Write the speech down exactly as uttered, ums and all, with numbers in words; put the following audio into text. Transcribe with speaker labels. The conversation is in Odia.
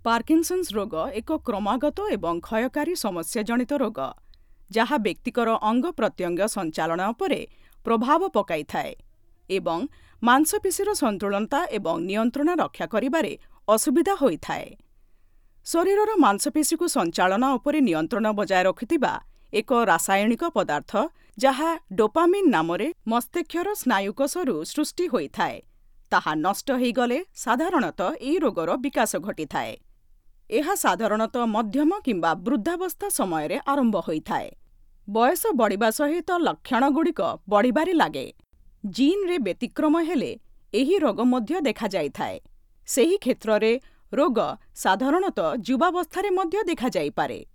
Speaker 1: ପାର୍କିନ୍ସନ୍ସ ରୋଗ ଏକ କ୍ରମାଗତ ଏବଂ କ୍ଷୟକାରୀ ସମସ୍ୟା ଜନିତ ରୋଗ, ଯାହା ବ୍ୟକ୍ତିଙ୍କର ଅଙ୍ଗପ୍ରତ୍ୟଙ୍ଗ ସଞ୍ଚାଳନ ଉପରେ ପ୍ରଭାବ ପକାଇଥାଏ ଏବଂ ମାଂସପେଶୀର ସନ୍ତୁଳନତା ଏବଂ ନିୟନ୍ତ୍ରଣ ରକ୍ଷା କରିବାରେ ଅସୁବିଧା ହୋଇଥାଏ। ଶରୀରର ମାଂସପେଶୀକୁ ସଞ୍ଚାଳନ ଉପରେ ନିୟନ୍ତ୍ରଣ ବଜାୟ ରଖୁଥିବା ଏକ ରାସାୟନିକ ପଦାର୍ଥ ଯାହା ଡୋପାମିନ୍ ନାମରେ ମସ୍ତିଷ୍କର ସ୍ନାୟୁକୋଷରୁ ସୃଷ୍ଟି ହୋଇଥାଏ, ତାହା ନଷ୍ଟ ହୋଇଗଲେ ସାଧାରଣତଃ ଏହି ରୋଗର ବିକାଶ ଘଟିଥାଏ। ଏହା ସାଧାରଣତଃ ମଧ୍ୟମ କିମ୍ବା ବୃଦ୍ଧାବସ୍ଥା ସମୟରେ ଆରମ୍ଭ ହୋଇଥାଏ। ବୟସ ବଢ଼ିବା ସହିତ ଲକ୍ଷଣଗୁଡ଼ିକ ବଢ଼ିବାରେ ଲାଗେ। ଜିନ୍‌ରେ ବ୍ୟତିକ୍ରମ ହେଲେ ଏହି ରୋଗ ମଧ୍ୟ ଦେଖାଯାଇଥାଏ। ସେହି କ୍ଷେତ୍ରରେ ରୋଗ ସାଧାରଣତଃ ଯୁବାବସ୍ଥାରେ ମଧ୍ୟ ଦେଖାଯାଇପାରେ।